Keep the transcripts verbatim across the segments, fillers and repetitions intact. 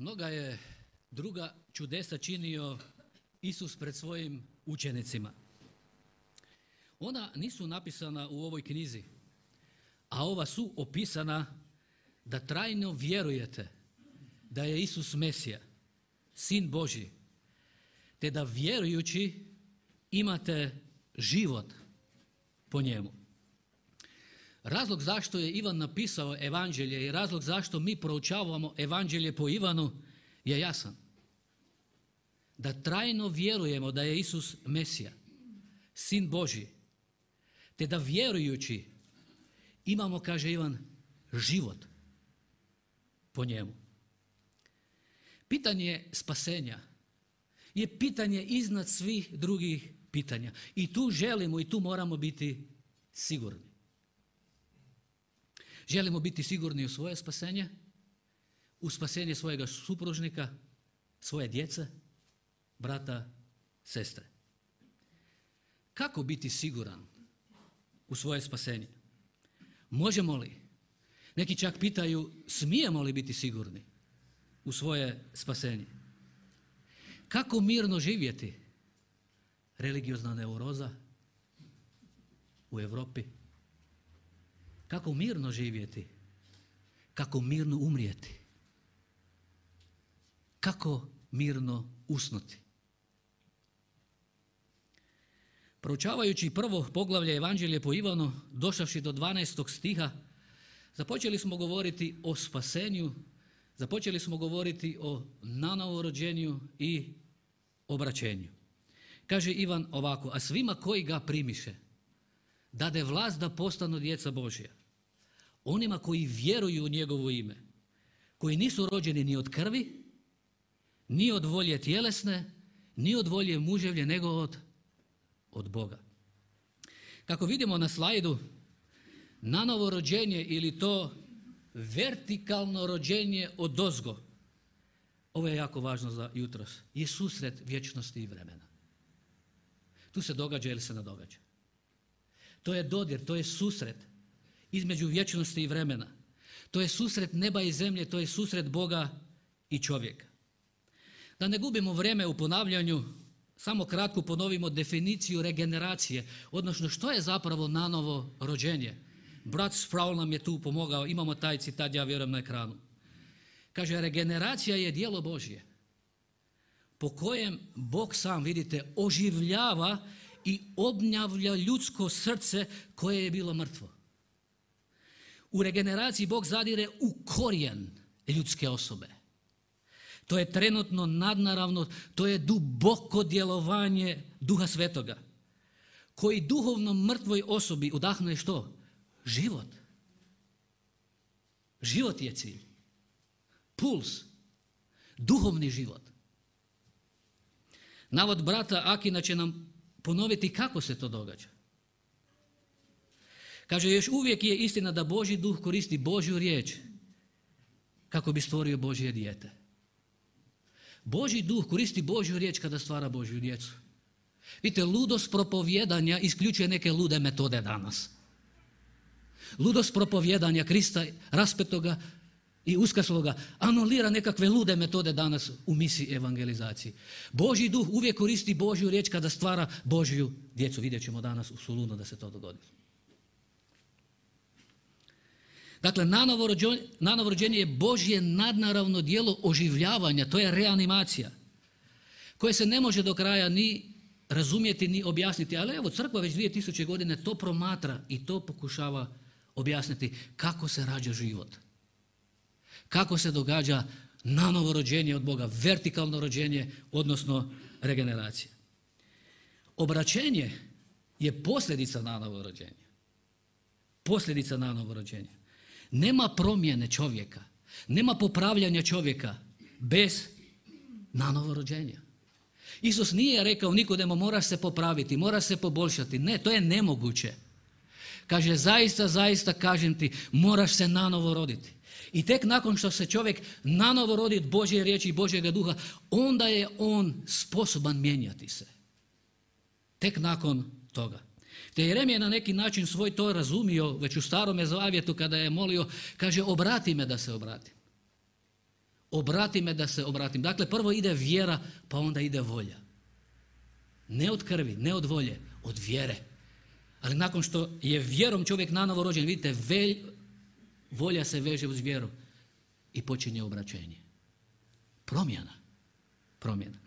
Mnoga je druga čudesa činio Isus pred svojim učenicima. Ona nisu napisana u ovoj knjizi, a ova su opisana da trajno vjerujete da je Isus Mesija, Sin Božji, te da vjerujući imate život po njemu. Razlog zašto je Ivan napisao evanđelje i razlog zašto mi proučavamo evanđelje po Ivanu je jasan. Da trajno vjerujemo da je Isus Mesija, Sin Božji, te da vjerujući imamo, kaže Ivan, život po njemu. Pitanje spasenja je pitanje iznad svih drugih pitanja. I tu želimo i tu moramo biti sigurni. Želimo biti sigurni u svoje spasenje, u spasenje svojega supružnika, svoje djece, brata, sestre. Kako biti siguran u svoje spasenje? Možemo li? Neki čak pitaju, smijemo li biti sigurni u svoje spasenje? Kako mirno živjeti? Religiozna neuroza u Europi. Kako mirno živjeti? Kako mirno umrijeti? Kako mirno usnuti? Proučavajući prvo poglavlje Evanđelje po Ivanu, došavši do dvanaestog stiha, započeli smo govoriti o spasenju, započeli smo govoriti o nanovorođenju i obraćenju. Kaže Ivan ovako, a svima koji ga primiše, dade vlast da postanu djeca Božja. Onima koji vjeruju u njegovo ime, koji nisu rođeni ni od krvi, ni od volje tjelesne, ni od volje muževlje, nego od, od Boga. Kako vidimo na slajdu, nanovo rođenje ili to vertikalno rođenje odozgo, ovo je jako važno za jutros, je susret vječnosti i vremena. Tu se događa ili se ne događa. To je dodir, to je susret između vječnosti i vremena. To je susret neba i zemlje, to je susret Boga i čovjeka. Da ne gubimo vrijeme u ponavljanju, samo kratko ponovimo definiciju regeneracije, odnosno što je zapravo nanovo rođenje. Brat Sproul nam je tu pomogao, imamo taj citat, ja vjerujem, na ekranu. Kaže, regeneracija je djelo Božje, po kojem Bog sam, vidite, oživljava i obnavlja ljudsko srce koje je bilo mrtvo. U regeneraciji Bog zadire u korijen ljudske osobe. To je trenutno nadnaravno, to je duboko djelovanje Duha Svetoga, koji duhovno mrtvoj osobi udahnuje što? Život. Život je cilj. Puls. Duhovni život. Navod brata Akina će nam ponoviti kako se to događa. Kaže, još uvijek je istina da Božji duh koristi Božju riječ kako bi stvorio Božje dijete. Božji duh koristi Božju riječ kada stvara Božju djecu. Vidite, ludost propovjedanja isključuje neke lude metode danas. Ludost propovjedanja Krista raspetoga i uskrsloga anulira nekakve lude metode danas u misiji evangelizaciji. Božji duh uvijek koristi Božju riječ kada stvara Božju djecu. Vidjet ćemo danas u Solunu da se to dogodi. Dakle, nanovo rođenje je Božje nadnaravno djelo oživljavanja, to je reanimacija, koje se ne može do kraja ni razumjeti, ni objasniti. Ali evo, crkva već dvije tisuće godine to promatra i to pokušava objasniti kako se rađa život. Kako se događa nanovo rođenje od Boga, vertikalno rođenje, odnosno regeneracija. Obraćenje je posljedica nanovo rođenja. Posljedica nanovo rođenja. Nema promjene čovjeka, nema popravljanja čovjeka bez nanovo rođenja. Isus nije rekao Nikodemo moraš se popraviti, moraš se poboljšati. Ne, to je nemoguće. Kaže, zaista, zaista kažem ti, moraš se nanovo roditi. I tek nakon što se čovjek nanovo rodi od Božje riječi i Božjega duha, onda je on sposoban mijenjati se. Tek nakon toga. Te Jeremija na neki način svoj to razumio već u Starome zavjetu kada je molio, kaže, obrati me da se obratim. Obrati me da se obratim. Dakle, prvo ide vjera, pa onda ide volja. Ne od krvi, ne od volje, od vjere. Ali nakon što je vjerom čovjek nanovo rođen, vidite, velj, volja se veže uz vjeru i počinje obraćenje. Promjena. Promjena.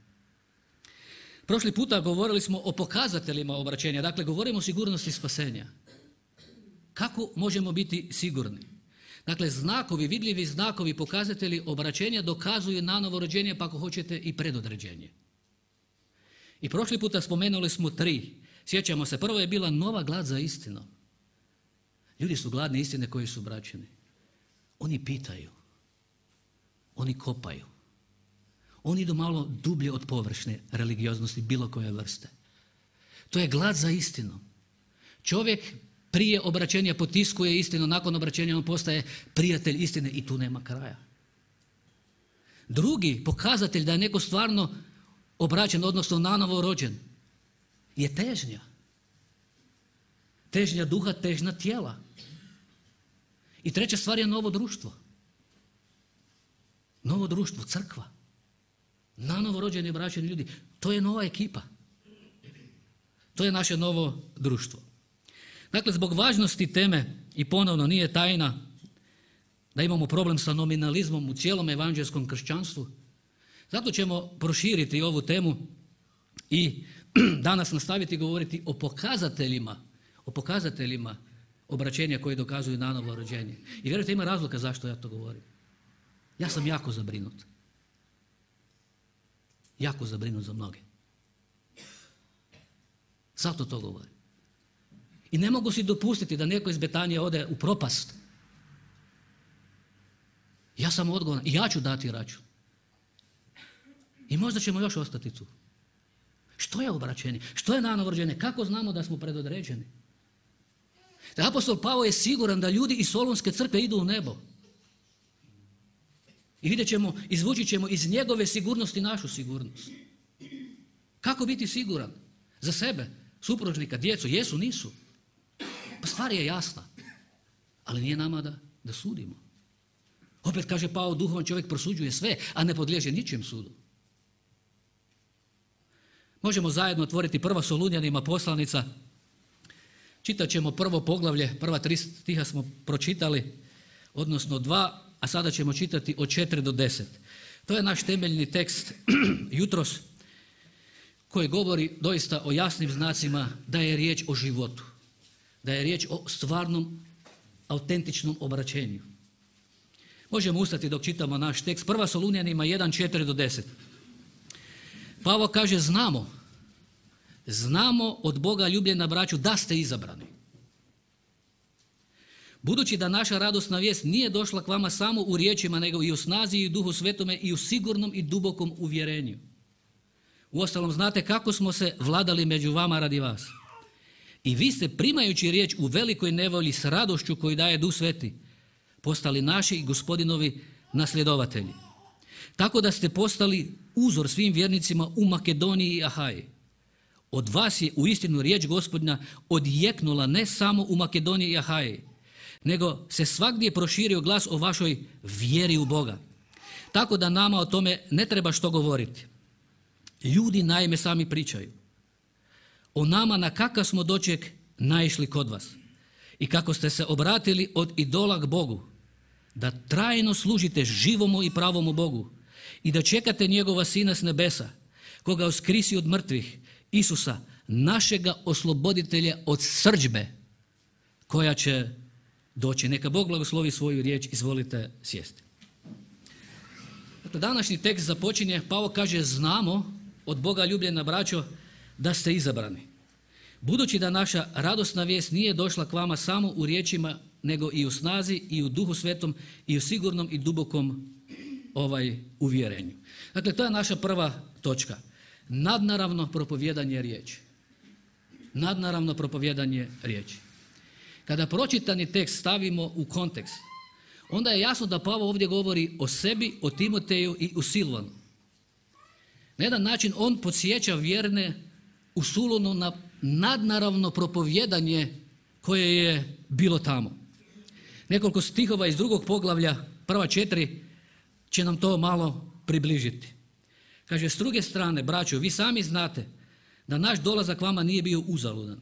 Prošli puta govorili smo o pokazateljima obraćenja, dakle govorimo o sigurnosti spasenja. Kako možemo biti sigurni? Dakle, znakovi, vidljivi znakovi, pokazatelji obraćenja dokazuju nanovo rođenje, pa ako hoćete i predodređenje. I prošli puta spomenuli smo tri. Sjećamo se, prvo je bila nova glad za istinom. Ljudi su gladni istine koji su obraćeni. Oni pitaju. Oni kopaju. Oni idu malo dublje od površne religioznosti bilo koje vrste. To je glad za istinom. Čovjek prije obraćenja potiskuje istinu, nakon obraćenja on postaje prijatelj istine i tu nema kraja. Drugi pokazatelj da je neko stvarno obraćen, odnosno nanovo rođen, je težnja. Težnja duha, težnja tijela. I treća stvar je novo društvo. Novo društvo, crkva. Nanovo rođeni i obraćeni ljudi. To je nova ekipa. To je naše novo društvo. Dakle, zbog važnosti teme, i ponovno nije tajna da imamo problem sa nominalizmom u cijelom evanđelskom kršćanstvu, zato ćemo proširiti ovu temu i danas nastaviti govoriti o pokazateljima, o pokazateljima obraćenja koji dokazuju nanovo rođenje. I vjerujte, ima razloga zašto ja to govorim. Ja sam jako zabrinut. Jako zabrinut za mnoge. Zato to govorim. I ne mogu si dopustiti da neko iz Betanije ode u propast. Ja sam odgovoran i ja ću dati račun. I možda ćemo još ostati tu. Što je obraćenje? Što je nanovo rođenje? Kako znamo da smo predodređeni? Da apostol Pavao je siguran da ljudi iz Solunske crkve idu u nebo. I vidjet ćemo, izvući ćemo iz njegove sigurnosti našu sigurnost. Kako biti siguran? Za sebe, supružnika, djecu, jesu, nisu. Pa stvar je jasna. Ali nije nama da, da sudimo. Opet kaže Pavao, duhovan čovjek prosuđuje sve, a ne podliježe ničem sudu. Možemo zajedno otvoriti prva Solunjanima poslanica. Čitat ćemo prvo poglavlje, prva tri stiha smo pročitali, odnosno dva, a sada ćemo čitati od četiri do deset. To je naš temeljni tekst jutros koji govori doista o jasnim znacima da je riječ o životu, da je riječ o stvarnom, autentičnom obraćenju. Možemo ustati dok čitamo naš tekst. Prva Solunjanima jedan, četiri do deset. Pavao kaže, znamo, znamo od Boga ljubljena braću da ste izabrani. Budući da naša radosna vijest nije došla k vama samo u riječima, nego i u snazi i u duhu svetome i u sigurnom i dubokom uvjerenju. Uostalom, znate kako smo se vladali među vama radi vas. I vi ste, primajući riječ u velikoj nevolji s radošću koju daje Duh Sveti, postali naši i Gospodinovi nasljedovatelji. Tako da ste postali uzor svim vjernicima u Makedoniji i Ahaji. Od vas je uistinu riječ Gospodnja odjeknula ne samo u Makedoniji i Ahaji, nego se svagdje proširio glas o vašoj vjeri u Boga. Tako da nama o tome ne treba što govoriti. Ljudi naime sami pričaju o nama na kakav smo doček naišli kod vas i kako ste se obratili od idola k Bogu, da trajno služite živomu i pravomu Bogu i da čekate njegova Sina s nebesa, koga uskrisi od mrtvih, Isusa, našega osloboditelja od srdžbe koja će doći. Neka Bog blagoslovi svoju riječ, izvolite sjesti. Dakle, današnji tekst započinje, Pavao kaže, znamo od Boga ljubljena braćo da ste izabrani. Budući da naša radosna vijest nije došla k vama samo u riječima, nego i u snazi i u duhu svetom i u sigurnom i dubokom ovaj uvjerenju. Dakle, to je naša prva točka. Nadnaravno propovjedanje riječi. Nadnaravno propovjedanje riječi. Kada pročitani tekst stavimo u kontekst, onda je jasno da Pavao ovdje govori o sebi, o Timoteju i u Silvanu. Na jedan način on podsjeća vjerne u Sulonu na nadnaravno propovjedanje koje je bilo tamo. Nekoliko stihova iz drugog poglavlja, prva četiri, će nam to malo približiti. Kaže, s druge strane, braćo, vi sami znate da naš dolazak vama nije bio uzaludan.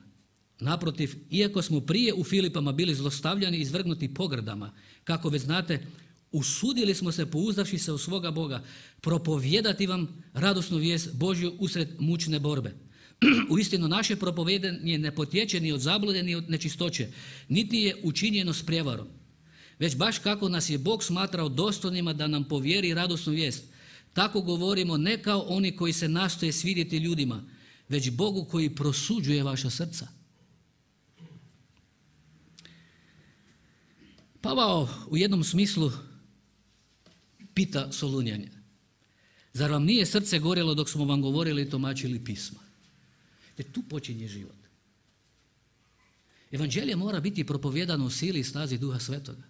Naprotiv, iako smo prije u Filipama bili zlostavljani i izvrgnuti pogrdama, kako već znate, usudili smo se, pouzdavši se u svoga Boga, propovijedati vam radosnu vijest Božju usred mučne borbe. Uistinu, naše propovijedanje ne potječe ni od zablude ni od nečistoće, niti je učinjeno s prijevarom. Već baš kako nas je Bog smatrao dostojnima da nam povjeri radosnu vijest, tako govorimo ne kao oni koji se nastoje svidjeti ljudima, već Bogu koji prosuđuje vaša srca. Pavao u jednom smislu pita Solunjane, zar vam nije srce gorjelo dok smo vam govorili i tumačili pisma? Jer tu počinje život. Evanđelje mora biti propovijedano u sili i snazi Duha Svetoga.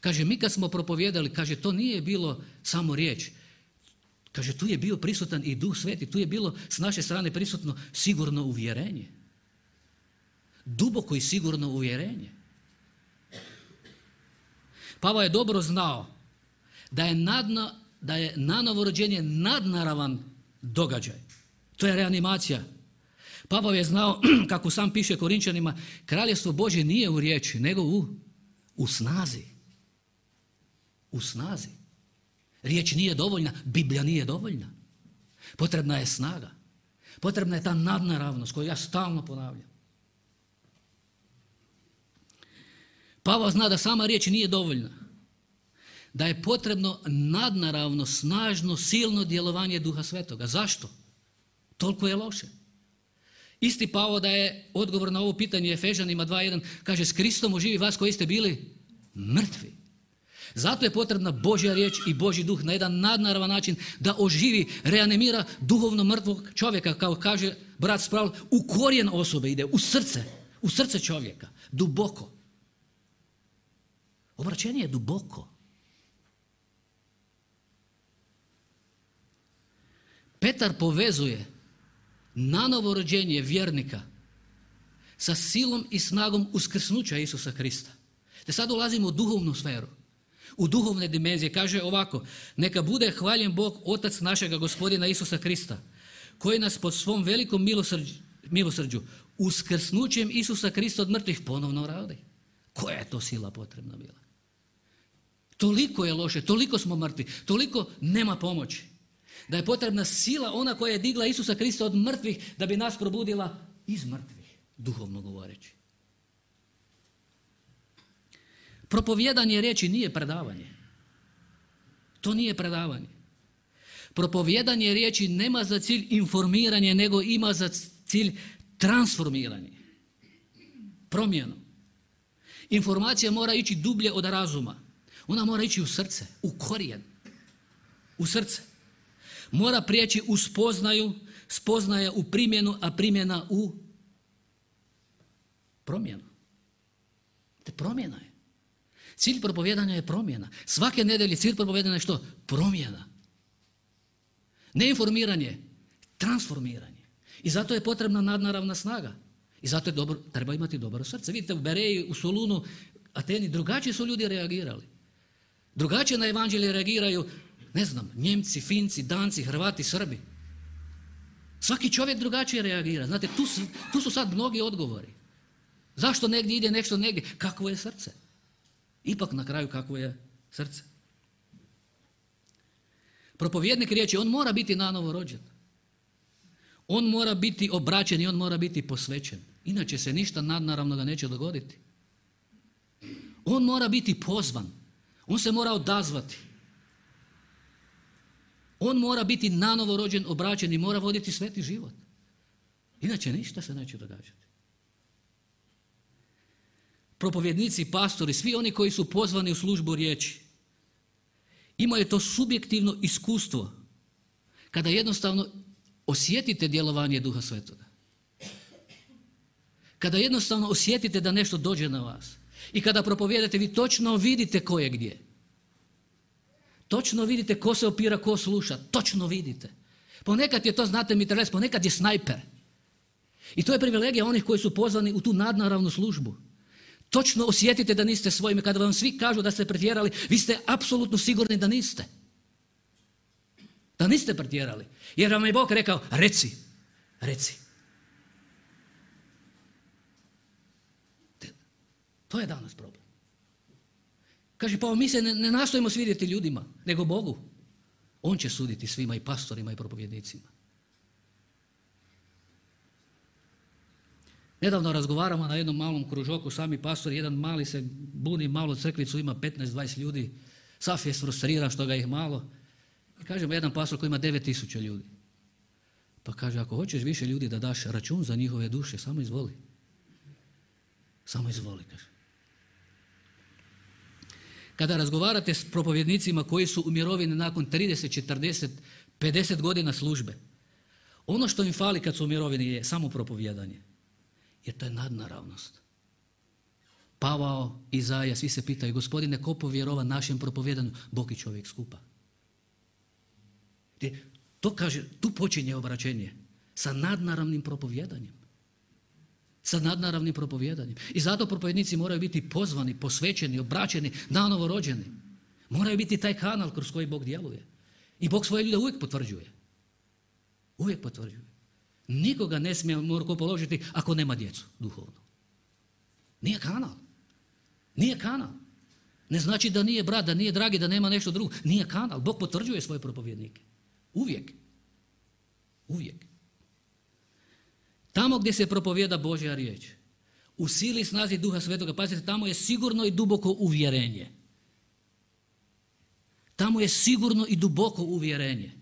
Kaže, mi kad smo propovijedali, kaže, to nije bilo samo riječ. Kaže, tu je bio prisutan i Duh Sveti, tu je bilo s naše strane prisutno sigurno uvjerenje. Duboko i sigurno uvjerenje. Pavao je dobro znao da je, nadna, da je nanovo rođenje nadnaravan događaj. To je reanimacija. Pavao je znao, kako sam piše Korinčanima, kraljevstvo Božje nije u riječi, nego u, u snazi. U snazi. Riječ nije dovoljna, Biblija nije dovoljna. Potrebna je snaga. Potrebna je ta nadnaravnost koju ja stalno ponavljam. Pavao zna da sama riječ nije dovoljna. Da je potrebno nadnaravno, snažno, silno djelovanje Duha Svetoga. Zašto? Toliko je loše. Isti Pavao da je odgovor na ovo pitanje Efežanima dva jedan, kaže, s Kristom oživi vas koji ste bili mrtvi. Zato je potrebna Božja riječ i Božji duh na jedan nadnaravan način da oživi, reanimira duhovno mrtvog čovjeka, kao kaže brat Sproul, u korijen osobe ide, u srce, u srce čovjeka, duboko. Obraćenje je duboko. Petar povezuje nanovo rođenje vjernika sa silom i snagom uskrsnuća Isusa Krista. Te sad ulazimo u duhovnu sferu, u duhovne dimenzije. Kaže ovako, neka bude hvaljen Bog, Otac našega Gospodina Isusa Krista, koji nas pod svom velikom milosrđu, milosrđu uskrsnućem Isusa Krista od mrtvih ponovno radi. Koja je to sila potrebna bila? Toliko je loše, toliko smo mrtvi, toliko nema pomoći. Da je potrebna sila ona koja je digla Isusa Krista od mrtvih da bi nas probudila iz mrtvih, duhovno govoreći. Propovijedanje riječi nije predavanje. To nije predavanje. Propovijedanje riječi nema za cilj informiranje, nego ima za cilj transformiranje. Promjenu. Informacija mora ići dublje od razuma. Ona mora ići u srce, u korijen. U srce. Mora prijeći u spoznaju, spoznaja u primjenu, a primjena u promjenu. Te promjena je. Cilj propovijedanja je promjena. Svake nedelje cilj propovijedanja je što? Promjena. Ne informiranje, transformiranje. I zato je potrebna nadnaravna snaga. I zato je dobro, treba imati dobro srce. Vidite, u Bereji, u Solunu, Ateni, drugačije su ljudi reagirali. Drugačije na evanđelje reagiraju, ne znam, Njemci, Finci, Danci, Hrvati, Srbi. Svaki čovjek drugačije reagira. Znate, tu su, tu su sad mnogi odgovori. Zašto negdje ide nešto negdje? Kakvo je srce? Ipak na kraju kakvo je srce. Propovjednik riječi, on mora biti nanovo rođen. On mora biti obraćen i on mora biti posvećen. Inače se ništa nadnaravno ga neće dogoditi. On mora biti pozvan. On se mora odazvati. On mora biti nanovo rođen, obraćen i mora voditi sveti život. Inače ništa se neće događati. Propovjednici, pastori, svi oni koji su pozvani u službu riječi, imaju to subjektivno iskustvo kada jednostavno osjetite djelovanje Duha Svetoga. Kada jednostavno osjetite da nešto dođe na vas i kada propovijedate, vi točno vidite ko je gdje. Točno vidite ko se opira, ko sluša. Točno vidite. Ponekad je to, znate, mitraljez, ponekad je snajper. I to je privilegija onih koji su pozvani u tu nadnaravnu službu. točno osjetite da niste svojim. Kada vam svi kažu da ste pretjerali, vi ste apsolutno sigurni da niste. Da niste pretjerali. Jer vam je Bog rekao, reci, reci. To je danas problem. Kaže, pa mi se ne, ne nastojimo svidjeti ljudima, nego Bogu. On će suditi svima, i pastorima i propovjednicima. Nedavno razgovaramo na jednom malom kružoku, sami pastori, jedan mali se buni, malo crkvicu, ima petnaest dvadeset ljudi, sav je frustriran što ga ih malo. I kažemo, jedan pastor koji ima devet tisuća ljudi. Pa kaže, ako hoćeš više ljudi da daš račun za njihove duše, samo izvoli. Samo izvoli, kaže. Kada razgovarate s propovjednicima koji su u mirovini nakon trideset, četrdeset, pedeset godina službe, ono što im fali kad su u mirovini je samo propovijedanje. Jer to je nadnaravnost. Pavao, Izaja, svi se pitaju, Gospodine, ko povjerova našem propovijedanju? Bog i čovjek skupa. To kaže, tu počinje obraćenje sa nadnaravnim propovijedanjem. Sa nadnaravnim propovijedanjem. I zato propovjednici moraju biti pozvani, posvećeni, obraćeni, nanovo rođeni. Moraju biti taj kanal kroz koji Bog djeluje. I Bog svoje ljude uvijek potvrđuje. Uvijek potvrđuje. Nikoga ne smije morko položiti ako nema djecu duhovno. Nije kanal. Nije kanal. Ne znači da nije brat, da nije dragi, da nema nešto drugo. Nije kanal. Bog potvrđuje svoje propovjednike. Uvijek. Uvijek. Tamo gdje se propovijeda Božja riječ, u sili i snazi Duha Svetoga, pazite, tamo je sigurno i duboko uvjerenje. Tamo je sigurno i duboko uvjerenje.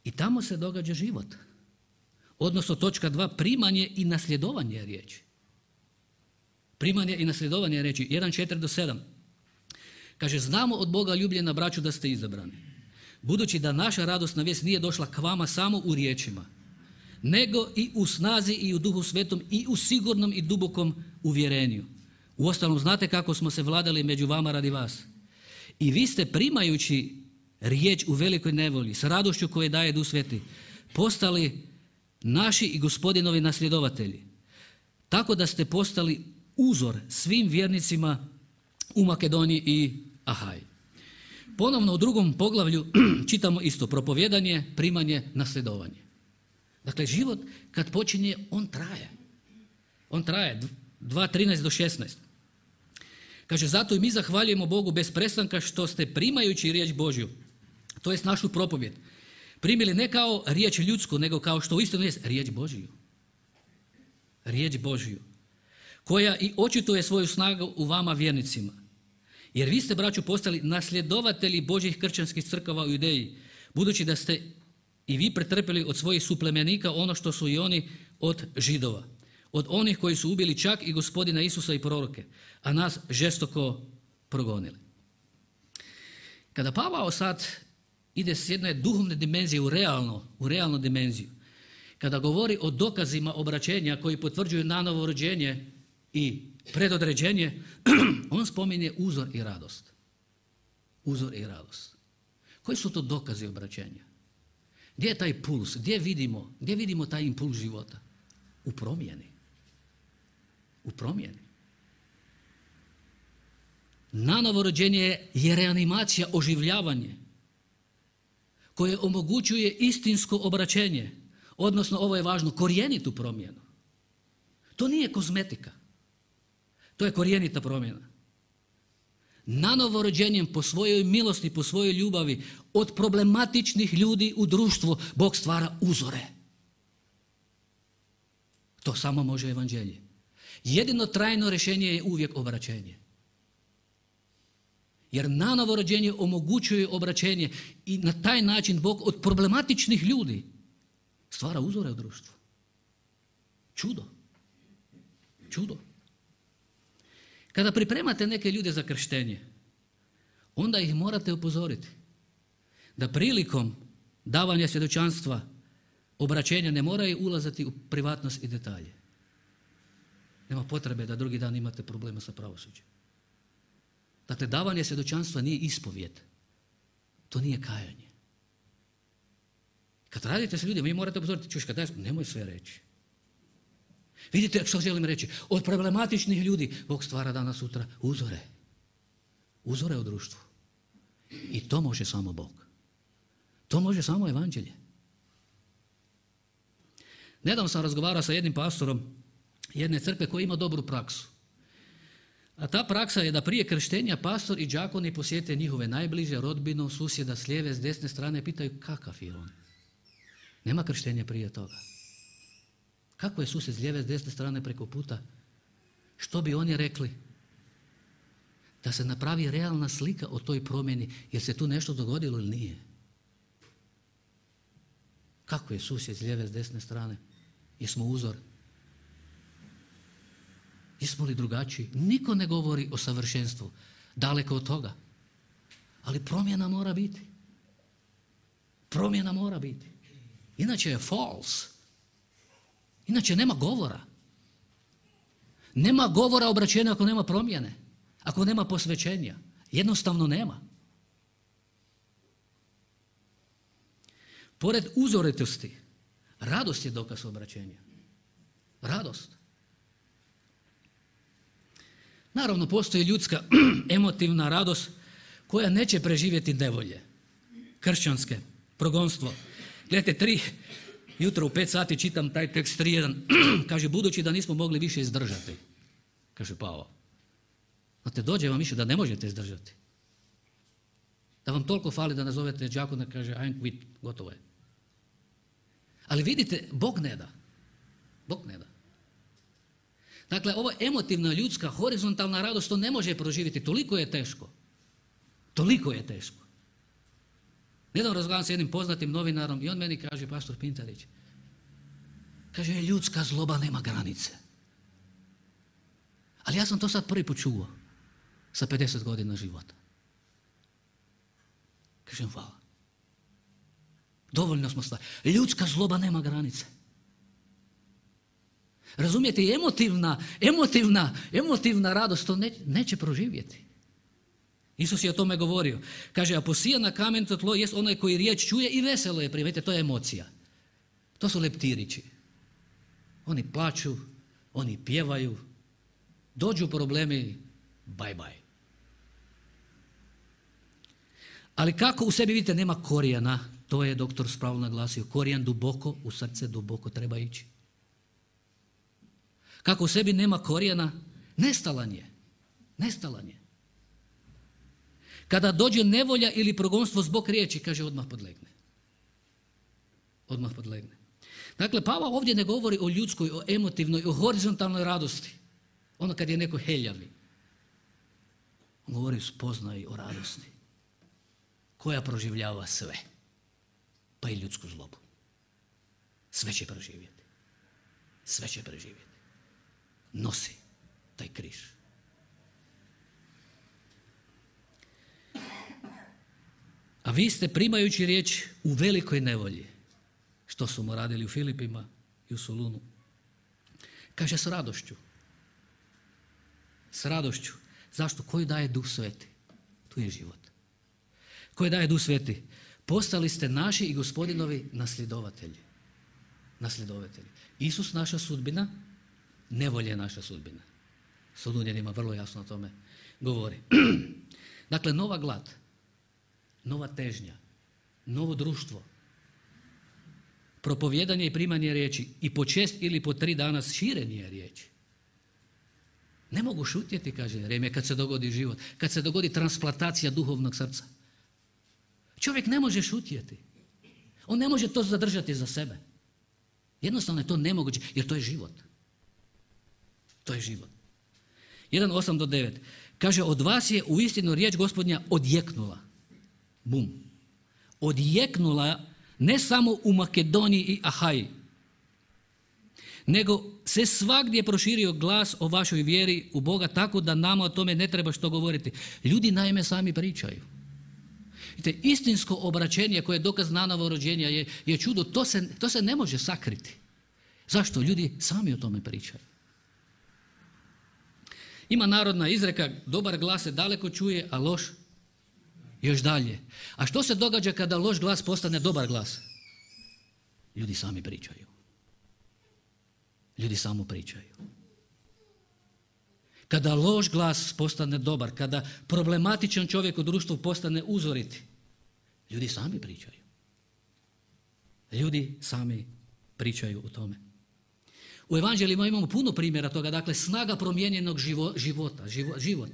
I tamo se događa život. Odnosno točka dva, primanje i nasljedovanje riječi. Primanje i nasljedovanje riječi, jedan četiri do sedam. Kaže, znamo od Boga ljubljena braću da ste izabrani. Budući da naša radosna vijest nije došla k vama samo u riječima, nego i u snazi i u Duhu Svetom i u sigurnom i dubokom uvjerenju. Uostalom, znate kako smo se vladali među vama radi vas. I vi ste primajući riječ u velikoj nevolji, s radošću koje daje Duh Sveti, postali naši i Gospodinovi nasljedovatelji. Tako da ste postali uzor svim vjernicima u Makedoniji i Ahaji. Ponovno u drugom poglavlju čitamo isto, propovijedanje, primanje, nasljedovanje. Dakle, život kad počinje, on traje. On traje, dva trinaest do šesnaest. Kaže, zato i mi zahvaljujemo Bogu bez prestanka što ste primajući riječ Božju, to jest našu propovijed, primili ne kao riječ ljudsku, nego kao što uistinu jest riječ Božju. Riječ Božju, koja i očituje svoju snagu u vama vjernicima. Jer vi ste, braćo, postali nasljedovatelji Božjih kršćanskih crkava u Judeji, budući da ste i vi pretrpjeli od svojih suplemenika ono što su i oni od Židova, od onih koji su ubili čak i Gospodina Isusa i proroke, a nas žestoko progonili. Kada Pavao sad ide s jedne duhovne dimenzije u realno, u realnu dimenziju, kada govori o dokazima obraćenja koji potvrđuju nanovo rođenje i predodređenje, on spominje uzor i radost. Uzor i radost. Koji su to dokazi obraćenja? Gdje je taj puls? Gdje vidimo, gdje vidimo taj impuls života? U promjeni. U promjeni. Nanovo rođenje je reanimacija, oživljavanje koje omogućuje istinsko obraćenje, odnosno, ovo je važno, korijenitu promjenu. To nije kozmetika. To je korijenita promjena. Nanovo rođenjem po svojoj milosti, po svojoj ljubavi, od problematičnih ljudi u društvu, Bog stvara uzore. To samo može evanđelje. Jedino trajno rješenje je uvijek obraćenje. Jer nanovo rođenje omogućuje obraćenje i na taj način Bog od problematičnih ljudi stvara uzore u društvu. Čudo. Čudo. Kada pripremate neke ljude za krštenje, onda ih morate upozoriti da prilikom davanja svjedočanstva, obraćenja ne moraju ulaziti u privatnost i detalje. Nema potrebe da drugi dan imate problema sa pravosuđem. Dakle, davanje svjedočanstva nije ispovijed. To nije kajanje. Kad radite s ljudima, vi morate upozoriti, čuš, kad daj, nemoj sve reći. Vidite što želim reći? Od problematičnih ljudi Bog stvara danas sutra uzore. Uzore u društvu. I to može samo Bog. To može samo evanđelje. Nedavno sam razgovarao sa jednim pastorom jedne crkve koji ima dobru praksu. A ta praksa je da prije krštenja pastor i đakoni posjete njihove najbliže, rodbinu, susjeda s lijeve, s desne strane, pitaju kakav je on. Nema krštenja prije toga. Kako je susjed s lijeve, s desne strane preko puta? Što bi oni rekli? Da se napravi realna slika o toj promjeni, jer se tu nešto dogodilo ili nije. Kako je susjed s lijeve, s desne strane? Jesmo uzor? Jesmo li drugačiji? Niko ne govori o savršenstvu. Daleko od toga. Ali promjena mora biti. Promjena mora biti. Inače je false. Inače nema govora. Nema govora obraćenja ako nema promjene. Ako nema posvećenja. Jednostavno nema. Pored uzoritosti, radost je dokaz obraćenja. Radost. Naravno, postoji ljudska emotivna radost koja neće preživjeti nevolje. Kršćanske, progonstvo. Gledajte, tri, jutro u pet sati čitam taj tekst tri jedan. Kaže, budući da nismo mogli više izdržati. Kaže Pavao. Znate, dođe vam više da ne možete izdržati. Da vam toliko fali da nazovete đakona, kaže, I'm quit, gotovo je. Ali vidite, Bog ne da. Bog ne da. Dakle, ovo emotivna, ljudska, horizontalna radost, to ne može proživjeti. Toliko je teško. Toliko je teško. Nedavno razgovaram s jednim poznatim novinarom i on meni kaže, pastor Pintarić, kaže, ljudska zloba nema granice. Ali ja sam to sad prvi put čuo sa pedeset godina života. Kažem, hvala. Dovoljno smo stvari. Ljudska zloba nema granice. Razumijete, emotivna, emotivna, emotivna radost to ne, neće proživjeti. Isus je o tome govorio. Kaže, a posija na kamenito tlo jest onaj koji riječ čuje i veselo je primijete. To je emocija. To su leptirići. Oni plaču, oni pjevaju, dođu problemi, bye bye. Ali kako u sebi, vidite, nema korijena, to je doktor spravo naglasio, korijen duboko, u srce duboko treba ići. Kako u sebi nema korijena, nestalan je. Nestalan je. Kada dođe nevolja ili progonstvo zbog riječi, kaže, odmah podlegne. Odmah podlegne. Dakle, Pavao ovdje ne govori o ljudskoj, o emotivnoj, o horizontalnoj radosti. Ono kad je neko heljavi. On govori o spoznaji, o radosti. Koja proživljava sve. Pa i ljudsku zlobu. Sve će proživjeti. Sve će preživjeti. Nosi taj križ. A vi ste primajući riječ u velikoj nevolji. Što su mu radili u Filipima i u Solunu. Kaže s radošću. S radošću. Zašto? Koji daje Duh Sveti? Tu je život. Koji daje Duh Sveti? Postali ste naši i Gospodinovi nasljedovatelji. Nasljedovatelji. Isus naša sudbina, nevolja je naša sudbina. Solunjanima vrlo jasno o tome govori. Dakle, nova glad, nova težnja, novo društvo, propovijedanje i primanje riječi i po šest ili po tri dana širenje riječi. Ne mogu šutjeti, kaže Jeremija, kad se dogodi život, kad se dogodi transplantacija duhovnog srca. Čovjek ne može šutjeti. On ne može to zadržati za sebe. Jednostavno je to nemoguće, jer to je život. To je život. jedan osam do devet. Kaže, od vas je uistinu riječ Gospodnja odjeknula. Bum. Odjeknula ne samo u Makedoniji i Ahaji, nego se svagdje proširio glas o vašoj vjeri u Boga, tako da nama o tome ne treba što govoriti. Ljudi naime sami pričaju. Vidite, istinsko obraćenje koje je dokaz nanovo rođenja je, je čudo, to se, to se ne može sakriti. Zašto? Ljudi sami o tome pričaju. Ima narodna izreka, dobar glas se daleko čuje, a loš još dalje. A što se događa kada loš glas postane dobar glas? Ljudi sami pričaju. Ljudi samo pričaju. Kada loš glas postane dobar, kada problematičan čovjek u društvu postane uzoriti, ljudi sami pričaju. Ljudi sami pričaju o tome. U evanđeljima imamo puno primjera toga, dakle snaga promijenjenog živo, života, živo, život.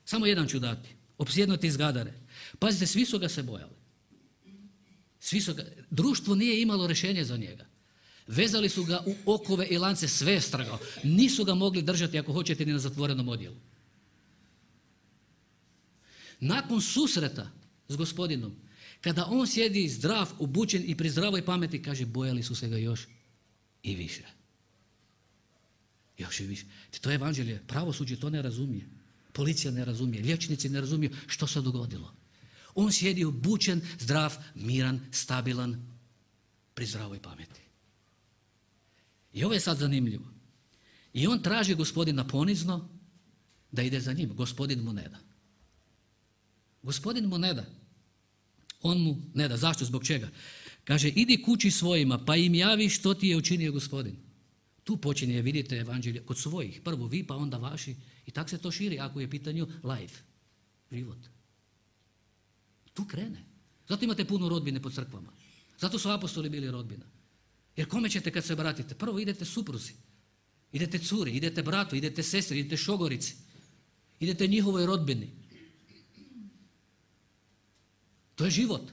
Samo jedan ću dati. Opsjednuti iz Gadare. Pazite, svi su ga se bojali. Svi su ga, društvo nije imalo rješenje za njega. Vezali su ga u okove i lance, sve je strgao. Nisu ga mogli držati, ako hoćete, ni na zatvorenom odjelu. Nakon susreta s Gospodinom, kada on sjedi zdrav, obučen i pri zdravoj pameti, kaže, bojali su se ga još i više. Još i više. To je evanđelje. Pravosuđe to ne razumije. Policija ne razumije. Liječnici ne razumiju što se dogodilo. On sjedi obučen, zdrav, miran, stabilan, pri zdravoj pameti. I ovo je sad zanimljivo. I on traži Gospodina ponizno da ide za njim. Gospodin mu ne da. Gospodin mu ne da. On mu ne da. Zašto? Zbog čega? Kaže, idi kući svojima, pa im javi što ti je učinio Gospodin. Tu počinje, vidite, evanđelje kod svojih. Prvo vi, pa onda vaši. I tako se to širi ako je pitanju life, život. Tu krene. Zato imate puno rodbine po crkvama. Zato su apostoli bili rodbina. Jer kome ćete kad se bratite? Prvo idete supruzi, idete curi, idete bratu, idete sestri, idete šogorici, idete njihovoj rodbini. To je život.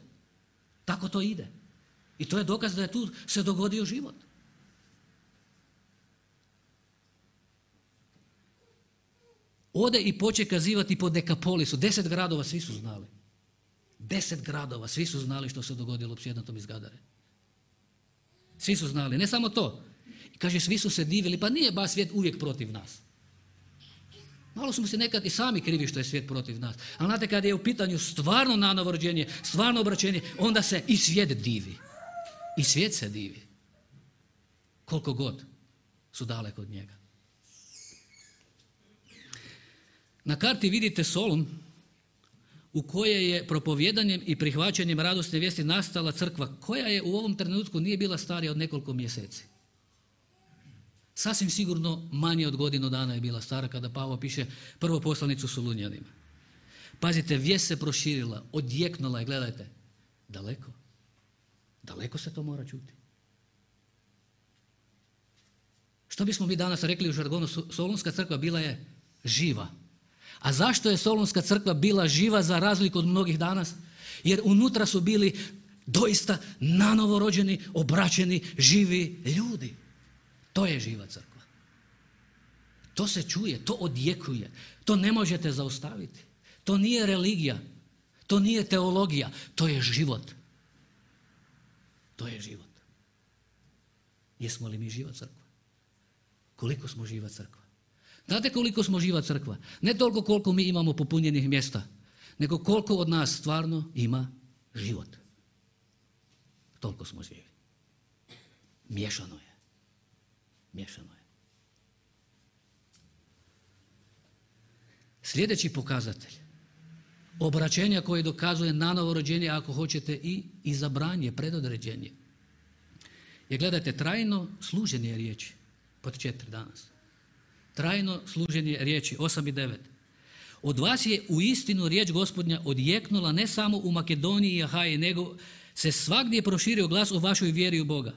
Tako to ide. I to je dokaz da je tu se dogodio život. Ode i poče kazivati po Dekapolisu. Deset gradova svi su znali. Deset gradova svi su znali što se dogodilo opsjednutom iz Gadare. Svi su znali. Ne samo to. Kaže, svi su se divili. Pa nije baš svijet uvijek protiv nas. Malo smo se nekad i sami krivi što je svijet protiv nas. Ali znate, kad je u pitanju stvarno nanovo rođenje, stvarno obraćenje, onda se i svijet divi. I svijet se divi. Koliko god su daleko od njega. Na karti vidite Solun, u kojoj je propovjedanjem i prihvaćanjem radosne vijesti nastala crkva, koja je u ovom trenutku nije bila starija od nekoliko mjeseci. Sasvim sigurno manje od godinu dana je bila stara kada Pavao piše prvu poslanicu Solunjanima. Pazite, vijest se proširila, odjeknula je, gledajte, daleko. Daleko se to mora čuti. Što bismo mi danas rekli u žargonu, Solunska crkva bila je živa. A zašto je Solunska crkva bila živa za razliku od mnogih danas? Jer unutra su bili doista nanovo rođeni, obraćeni, živi ljudi. To je živa crkva. To se čuje, to odjekuje, to ne možete zaustaviti. To nije religija, to nije teologija, to je život. To je život. Jesmo li mi živa crkva? Koliko smo živa crkva? Znate koliko smo živa crkva? Ne toliko koliko mi imamo popunjenih mjesta, nego koliko od nas stvarno ima život. Toliko smo živi. Miješano je. Miješano je. Sljedeći pokazatelj obraćenja koje dokazuje nanovo rođenje, ako hoćete i izabranje, predodređenje, je, gledajte, trajno služenje riječi. Pod četiri danas. Trajno služenje riječi, osam i devet. Od vas je u istinu riječ Gospodnja odjeknula ne samo u Makedoniji i Ahaji, nego se svagdje proširio glas o vašoj vjeri u Boga.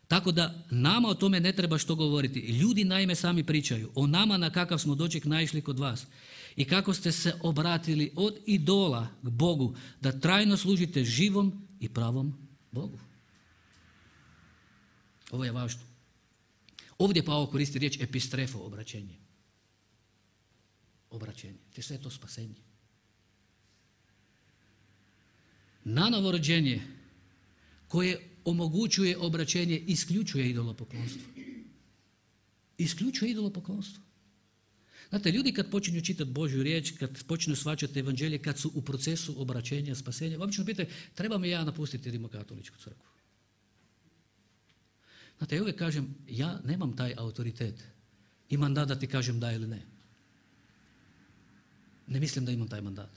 Tako da nama o tome ne treba što govoriti. Ljudi naime sami pričaju o nama na kakav smo doček naišli kod vas i kako ste se obratili od idola k Bogu da trajno služite živom i pravom Bogu. Ovo je važno. Ovdje Pavao koristi riječ epistrefo, obraćenje. Obraćenje. Te sve je to spasenje. Nanovo rođenje koje omogućuje obraćenje isključuje idolopoklonstvo. Isključuje idolopoklonstvo. Znate, ljudi kad počinju čitati Božju riječ, kad počinju shvaćati evanđelje, kad su u procesu obraćenja, spasenja, obično pitaju, treba mi ja napustiti Rimokatoličku crkvu? Znate, ja uvijek kažem, ja nemam taj autoritet i mandat da ti kažem da ili ne. Ne mislim da imam taj mandat.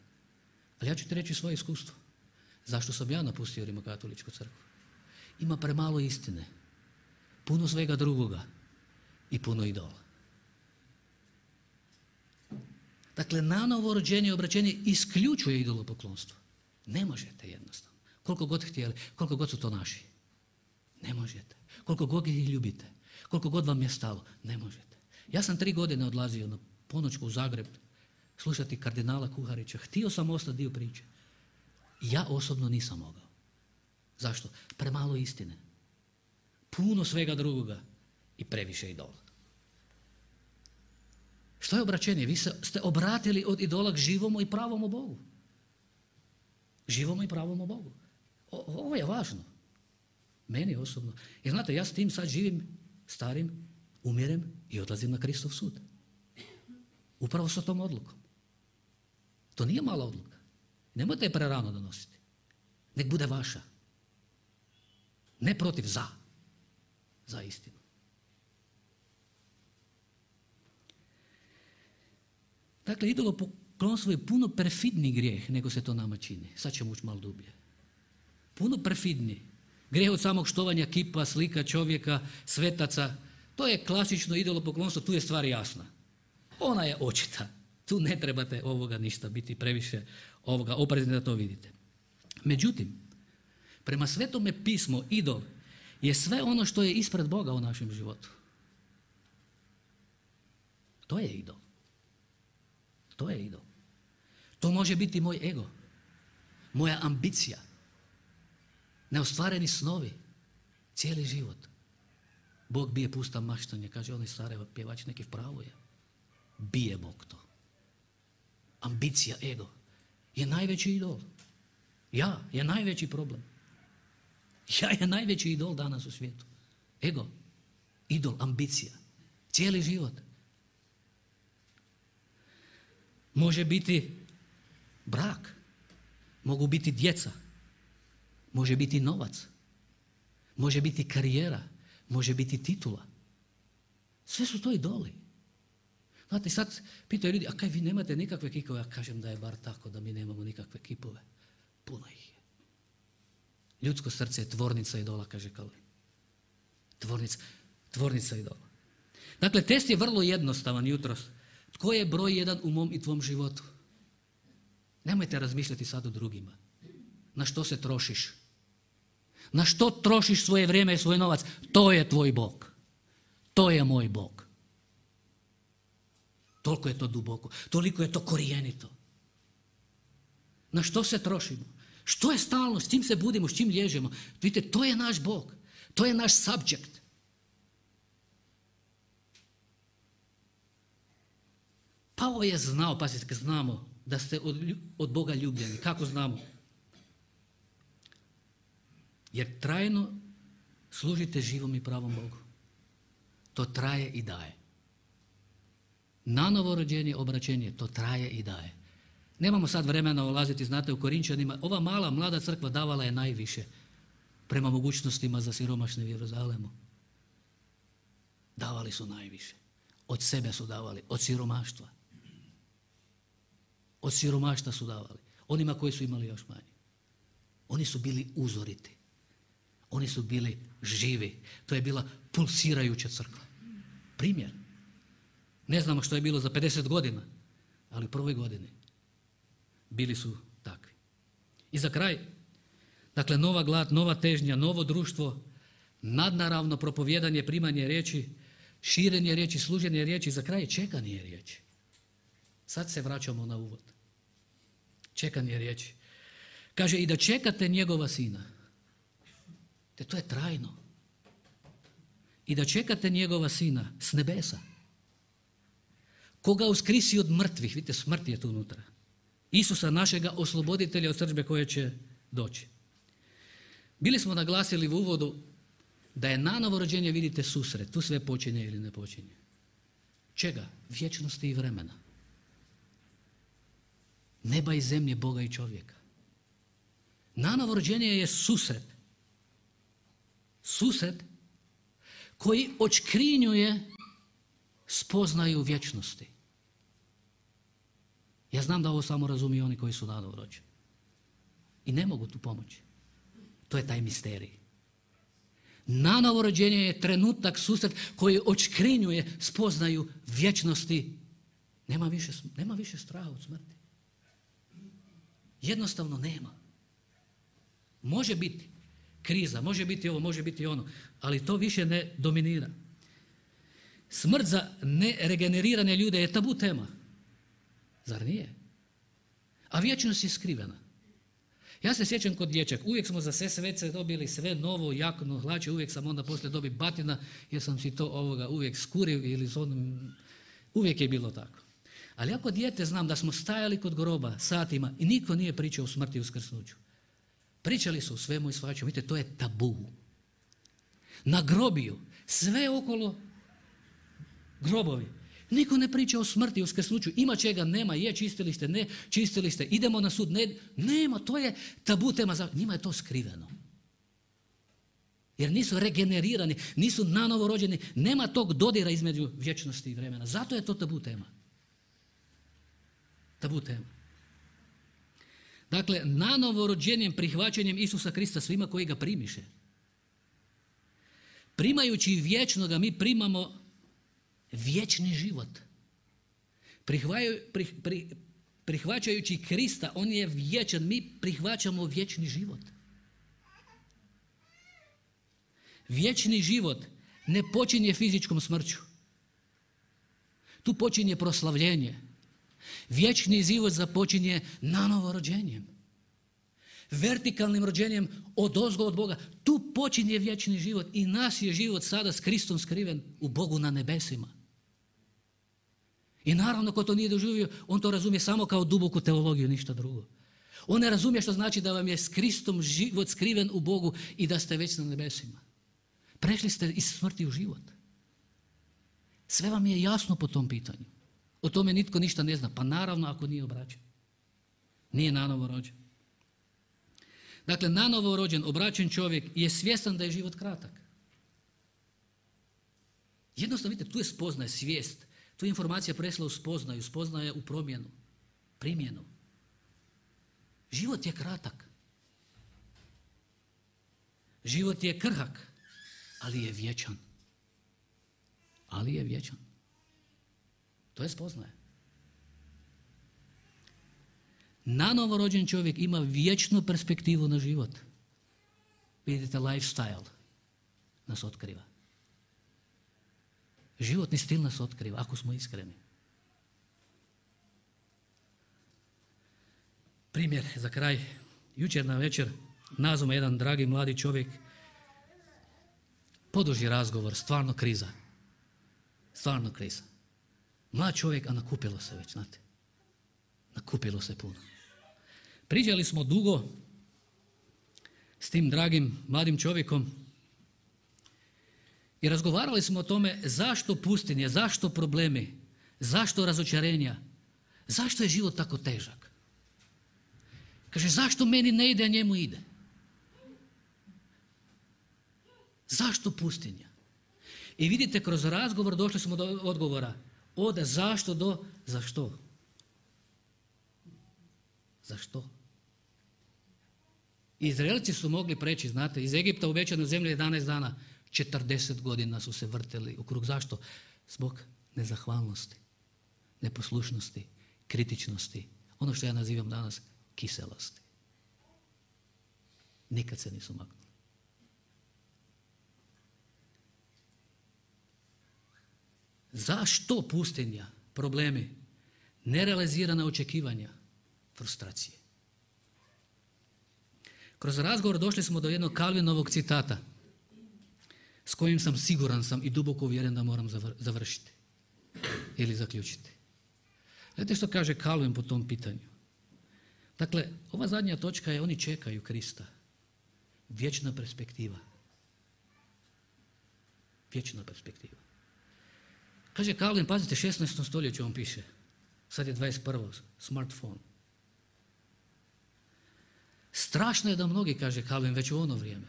Ali ja ću ti reći svoje iskustvo. Zašto sam ja napustio Rimokatoličku crkvu? Ima premalo istine. puno svega drugoga i puno idola. Dakle, nanovo rođenje i obraćenje isključuje idolopoklonstvo. Ne možete jednostavno. Koliko god htjeli, koliko god su to naši. Ne možete. Koliko god ih ljubite, koliko god vam je stalo, ne možete. Ja sam tri godine odlazio na ponoćku u Zagreb slušati kardinala Kuharića. Htio sam ostati dio priče. Ja osobno nisam mogao. Zašto? Premalo istine. Puno svega drugoga i previše idola. Što je obraćenje? Vi ste obratili od idola k živomu i pravomu Bogu. Živomu i pravomu Bogu. O, ovo je važno. Meni osobno. Jer znate, ja s tim sad živim starim, umirem i odlazim na Kristov sud. Upravo sa tom odlukom. To nije mala odluka. Nemojte je prerano donositi. Nek bude vaša. Ne protiv, za. Za istinu. Dakle, idolopoklonstvo je puno perfidni grijeh nego se to nama čini. Sad ćemo ući malo dublje. Puno perfidni. Grijeh od samog štovanja kipa, slika čovjeka, svetaca. To je klasično idolopoklonstvo, tu je stvar jasna. Ona je očita. Tu ne trebate ovoga ništa biti previše ovoga oprezni da to vidite. Međutim, prema Svetome pismu, idol je sve ono što je ispred Boga u našem životu. To je idol. To je idol. To može biti moj ego, moja ambicija, neostvareni snovi, cijeli život. Bog bije pusta maštanje, kaže onaj Sarajevo pjevač, neki pravo je. Bije Bog to. Ambicija, ego je najveći idol. Ja je najveći problem. Ja je najveći idol danas u svijetu. Ego, idol, ambicija, cijeli život. Može biti brak, mogu biti djeca, može biti novac, može biti karijera, može biti titula. Sve su to idoli. Znate, sad pitaju ljudi, a kaj vi nemate nikakve kipove? Ja kažem da je bar tako, da mi nemamo nikakve kipove. Puno ih je. Ljudsko srce je tvornica idola, kaže Kalvin. Tvornica, tvornica idola. Dakle, test je vrlo jednostavan jutros. Tko je broj jedan u mom i tvom životu? Nemojte razmišljati sad o drugima. Na što se trošiš? Na što trošiš svoje vrijeme i svoj novac? To je tvoj Bog. To je moj Bog. Toliko je to duboko, toliko je to korijenito. Na što se trošimo? Što je stalno? S čim se budimo? S čim lježemo? Vidite, to je naš Bog. To je naš subject. Pavao je znao, pazite, znamo da ste od, od Boga ljubljeni. Kako znamo? Jer trajno služite živom i pravom Bogu. To traje i daje. Nanovo rođenje, obraćenje, to traje i daje. Nemamo sad vremena ulaziti, znate, u Korinčanima. Ova mala, mlada crkva davala je najviše prema mogućnostima za siromašne u Jeruzalemu. Davali su najviše. Od sebe su davali, od siromaštva. Od siromaštva su davali. Onima koji su imali još manje. Oni su bili uzoriti. Oni su bili živi. To je bila pulsirajuća crkva. Primjer. Ne znamo što je bilo za pedeset godina, ali u prvoj godini bili su takvi. I za kraj, dakle, nova glad, nova težnja, novo društvo, nadnaravno propovijedanje, primanje riječi, širenje riječi, služenje riječi, za kraj čekanje riječi. Sad se vraćamo na uvod. Čekanje riječi. Kaže, i da čekate njegova sina. Te to je trajno. I da čekate njegova sina s nebesa. Koga uskrisi od mrtvih, vidite, smrt je tu unutra. Isusa našega osloboditelja od srdžbe koje će doći. Bili smo naglasili u uvodu da je nanovo rođenje, vidite, susret. Tu sve počinje ili ne počinje. Čega? Vječnosti i vremena. Neba i zemlje, Boga i čovjeka. Nanovo rođenje je susret. Susret koji očkrinjuje spoznaju vječnosti. Ja znam da ovo samo razumiju oni koji su nanovo rođeni. I ne mogu tu pomoći. To je taj misterij. Nanovo rođenje je trenutak, susret koji odškrinjuje spoznaju vječnosti. Nema više, nema više straha od smrti. Jednostavno nema. Može biti kriza, može biti ovo, može biti ono, ali to više ne dominira. Smrt za neregenerirane ljude je tabu tema. Zar nije? A vječnost je skrivena. Ja se sjećam kod dječak, uvijek smo za sve svece dobili sve novo, jakno hlače, uvijek sam onda poslije dobio batina jer sam si to ovoga uvijek skurio ili s onim, uvijek je bilo tako. Ali ako dijete znam da smo stajali kod groba satima i niko nije pričao o smrti i uskrsnuću. Pričali su o svemu i svačemu, vidite, to je tabu. Na grobiju, sve okolo grobovi. Niko ne priča o smrti i uskrsnuću, ima čega, nema, je, čistili ste, ne, čistili ste, idemo na sud, ne, nema, to je tabu tema, njima je to skriveno. Jer nisu regenerirani, nisu nanovo rođeni, nema tog dodira između vječnosti i vremena, zato je to tabu tema. Tabu tema. Dakle, nanovo rođenjem, prihvaćanjem Isusa Krista svima koji ga primiše. Primajući vječnoga, mi primamo vječni život. Prihvaju, prih, pri, prihvaćajući Krista, on je vječan, mi prihvaćamo vječni život. Vječni život ne počinje fizičkom smrću. Tu počinje proslavljenje. Vječni život započinje nanovo rođenjem. Vertikalnim rođenjem odozgo od Boga. Tu počinje vječni život i naš je život sada s Kristom skriven u Bogu na nebesima. I naravno ko to nije doživio, on to razumije samo kao duboku teologiju, ništa drugo. On ne razumije što znači da vam je s Kristom život skriven u Bogu i da ste već na nebesima. Prešli ste iz smrti u život. Sve vam je jasno po tom pitanju. O tome nitko ništa ne zna. Pa naravno ako nije obraćen. Nije nanovo rođen. Dakle, nanovo rođen, obraćen čovjek je svjestan da je život kratak. Jednostavno, vidite, tu je spoznaje, svijest. Tu je informacija presla u spoznaju, spoznaje u promjenu, primjenu. Život je kratak. Život je krhak, ali je vječan. Ali je vječan. To je spoznaje. Nanovo rođen čovjek ima vječnu perspektivu na život. Vidite, lifestyle nas otkriva. Životni stil nas otkriva, ako smo iskreni. Primjer za kraj. Jučer na večer nazvao jedan dragi mladi čovjek, poduži razgovor, stvarno kriza. Stvarno kriza. Mlad čovjek, a nakupilo se već, znate. Nakupilo se puno. Pričali smo dugo s tim dragim mladim čovjekom i razgovarali smo o tome zašto pustinje, zašto problemi, zašto razočarenja, zašto je život tako težak. Kaže, zašto meni ne ide, a njemu ide? Zašto pustinja? I vidite, kroz razgovor došli smo do odgovora. Od zašto do zašto. Zašto? Izraelci su mogli preći, znate, iz Egipta u obećanu zemlju jedanaest dana, četrdeset godina su se vrteli u krug. Zašto? Zbog nezahvalnosti, neposlušnosti, kritičnosti, ono što ja nazivam danas kiselosti. Nikad se nisu maknuli. Zašto pustinja, problemi, nerealizirana očekivanja, frustracije? Kroz razgovor došli smo do jednog Calvinovog citata s kojim sam siguran sam i duboko uvjeren da moram završiti ili zaključiti. Znate što kaže Calvin po tom pitanju? Dakle, ova zadnja točka je oni čekaju Krista. Vječna perspektiva. Vječna perspektiva. Kaže Calvin, pazite, šesnaestom stoljeću on piše. Sad je dvadeset prvo smartphone. Strašno je da mnogi, kaže Calvin, već u ono vrijeme.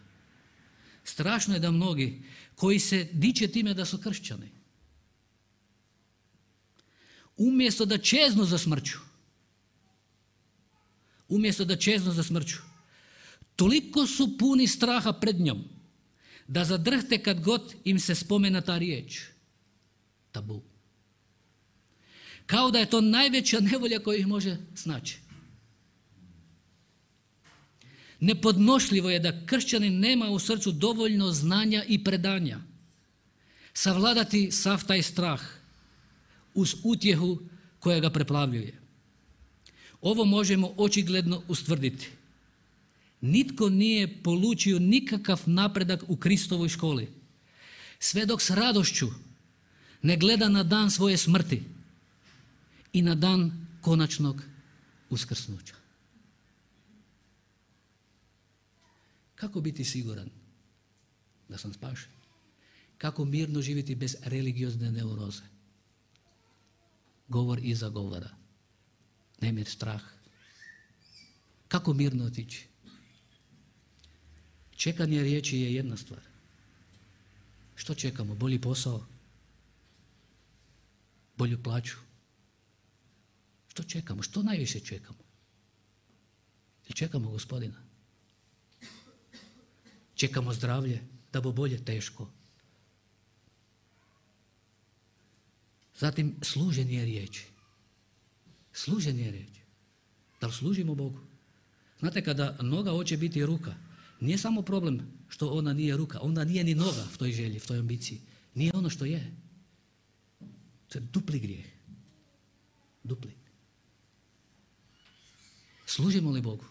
Strašno je da mnogi koji se diče time da su kršćani, umjesto da čeznu za smrću, umjesto da čeznu za smrću, toliko su puni straha pred njom, da zadrhte kad god im se spomena ta riječ. Tabu. Kao da je to najveća nevolja koja ih može snaći. Nepodnošljivo je da kršćanin nema u srcu dovoljno znanja i predanja savladati sav taj strah uz utjehu koja ga preplavljuje. Ovo možemo očigledno ustvrditi. Nitko nije polučio nikakav napredak u Kristovoj školi, sve dok s radošću ne gleda na dan svoje smrti i na dan konačnog uskrsnuća. Kako biti siguran da sam spašen? Kako mirno živjeti bez religiozne neuroze? Govor iza govora. Nemir strah. Kako mirno otići? Čekanje riječi je jedna stvar. Što čekamo? Bolji posao? Bolju plaću? Što čekamo? Što najviše čekamo? Ili čekamo Gospodina? Čekamo zdravlje, da bo bolje teško. Zatim služenje riječi. Služenje riječi. Da li služimo Bogu? Znate, kada noga hoće biti ruka, nije samo problem što ona nije ruka, ona nije ni noga v toj želji, v toj ambiciji. Nije ono što je. To je dupli grijeh. Dupli. Služimo li Bogu?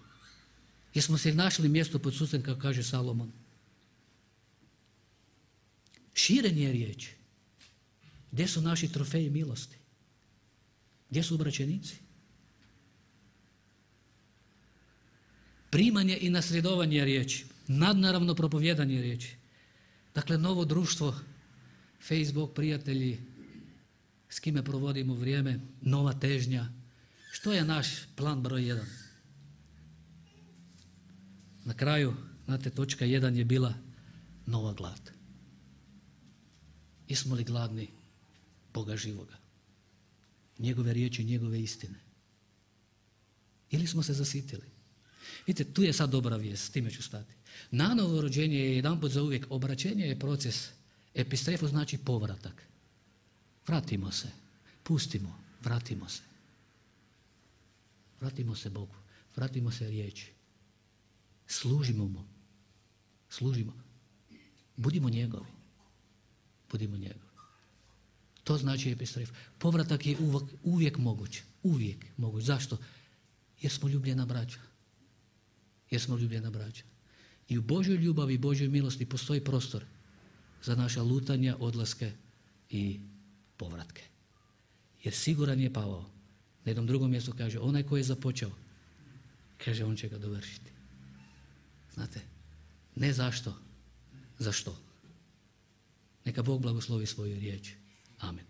Jesmo se našli mjesto pod suncem, kako kaže Salomon? Širenje riječi. Gdje su naši trofeji milosti? Gdje su obraćenici? Primanje i nasljedovanje riječi. Nadnaravno propovjedanje riječi. Dakle, novo društvo, Facebook, prijatelji, s kime provodimo vrijeme, nova težnja. Što je naš plan broj jedan? Na kraju, znate, točka jedan je bila nova glad. Jesmo li gladni Boga živoga? Njegove riječi, njegove istine. Ili smo se zasitili? Vidite, tu je sad dobra vijest, s time ću stati. Nanovo rođenje je jedanput za uvijek, obraćenje je proces. Epistrefo znači povratak. Vratimo se, pustimo, vratimo se. Vratimo se Bogu, vratimo se riječi. Služimo mu. Služimo. Budimo njegovi. Budimo njegovi. To znači epistref. Povratak je uvijek, uvijek moguć. Uvijek moguć. Zašto? Jer smo ljubljena braća. Jer smo ljubljena braća. I u Božoj ljubavi i Božoj milosti postoji prostor za naša lutanja, odlaske i povratke. Jer siguran je Pavao. Na jednom drugom mjestu kaže, onaj koji je započeo, kaže, on će ga dovršiti. Znate, ne zašto, zašto. Neka Bog blagoslovi svoju riječ. Amen.